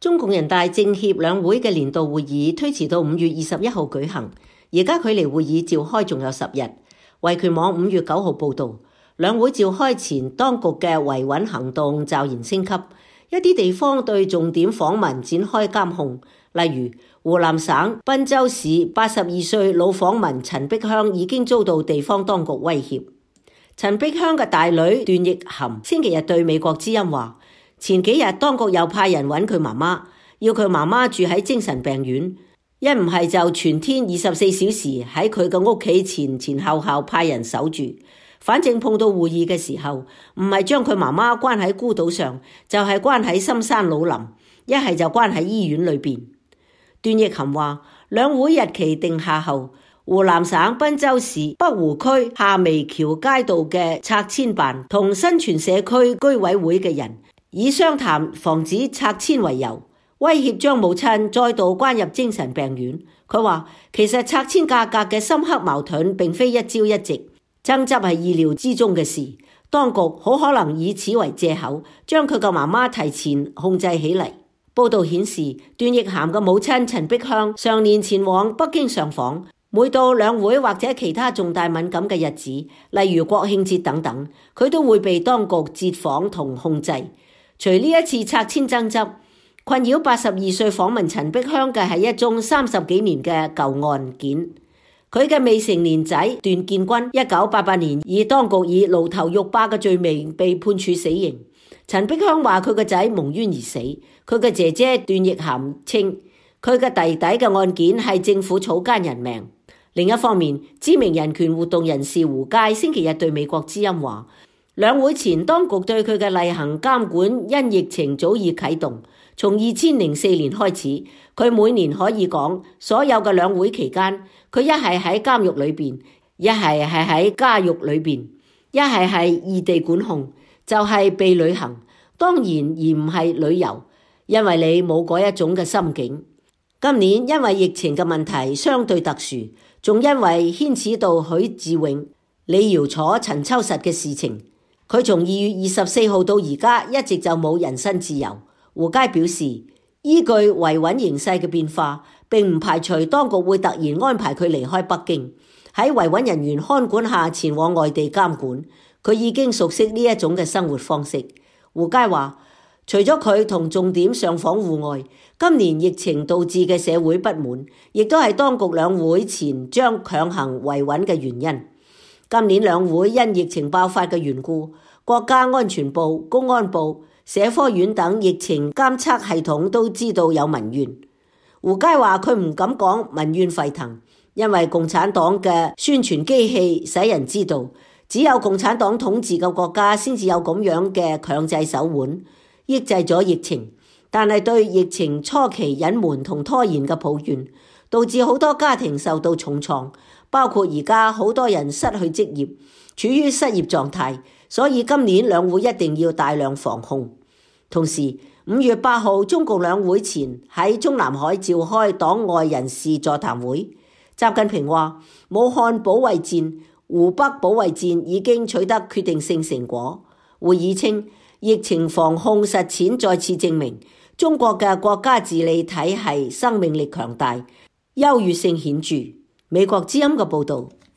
中共人大政協兩會嘅年度會議推遲到5月21號舉行，而家距離會議召開仲有10日。維權網5月9號報道，兩會召開前，當局嘅維穩行動驟然升級，一啲地方對重點訪民展開監控，例如湖南省郴州市82歲老訪民陳碧香已經遭到地方當局威脅。陳碧香嘅大女段奕含星期日對美國之音話，前幾日當局又派人揾佢媽媽，要佢媽媽住喺精神病院，一唔係就全天24小時喺佢嘅屋企前後派人守住。反正碰到會議嘅時候，唔係將佢媽媽關喺孤島上，就係關喺深山老林，一係就關喺醫院裏邊。段奕含話，兩會日期定下後，湖南省郴州市北湖區下眉橋街道嘅拆遷辦同新泉社區居委會嘅人以商談防止拆遷為由，威脅將母親再度關入精神病院。佢話其實拆遷價格嘅深刻矛盾並非一朝一夕，爭執係意料之中嘅事，當局好可能以此為借口，將佢個媽媽提前控制起嚟。報道顯示，段奕含嘅母親陳碧香上年前往北京上訪，每到兩會或者其他重大敏感嘅日子，例如國慶節等等，佢都會被當局截訪同控制。除呢一次拆遷爭執，困擾82歲訪民陳碧香嘅係一宗30幾年嘅舊案件。佢嘅未成年仔段建軍1988年以當局以爐頭浴霸嘅罪名被判處死刑。陳碧香話佢個仔蒙冤而死，佢嘅姐姐段奕含稱佢嘅弟弟嘅案件係政府草菅人命。另一方面，知名人權活動人士胡佳星期日對美國之音話，兩會前當局對佢嘅例行監管因疫情早已啟動，從2004年開始，佢每年可以講所有嘅兩會期間，佢一係喺監獄裏邊，一係喺家獄裏邊，一係異地管控，就係被旅行，當然而唔係旅遊，因為你冇嗰一種嘅心境。今年因為疫情嘅問題相對特殊，仲因為牽扯到許志永、李堯楚、陳秋實嘅事情，佢從2月24號到而家一直就冇人身自由。胡佳表示，依據維穩形勢嘅變化，並唔排除當局會突然安排佢離開北京，喺維穩人員看管下前往外地監管。佢已經熟悉呢一種嘅生活方式。胡佳話，除咗佢同重點上訪戶外，今年疫情導致嘅社會不滿，亦都係當局兩會前將強行維穩嘅原因。今年兩會因疫情爆發嘅緣故，國家安全部、公安部、社科院等疫情監測系統都知道有民怨。胡佳話佢唔敢講民怨沸騰，因為共產黨嘅宣傳機器使人知道，只有共產黨統治嘅國家先至有咁樣嘅強制手腕，抑制咗疫情。但係對疫情初期隱瞞同拖延嘅抱怨，導致好多家庭受到重創，包括而家好多人失去職業，處於失業狀態。所以今年兩會一定要大量防控。同時5月8號中共兩會前喺中南海召開黨外人士座談會，習近平話武漢保衛戰、湖北保衛戰已經取得決定性成果。會議稱，疫情防控實踐再次證明中國嘅國家治理體系生命力強大、優越性顯著。美國之音嘅報導。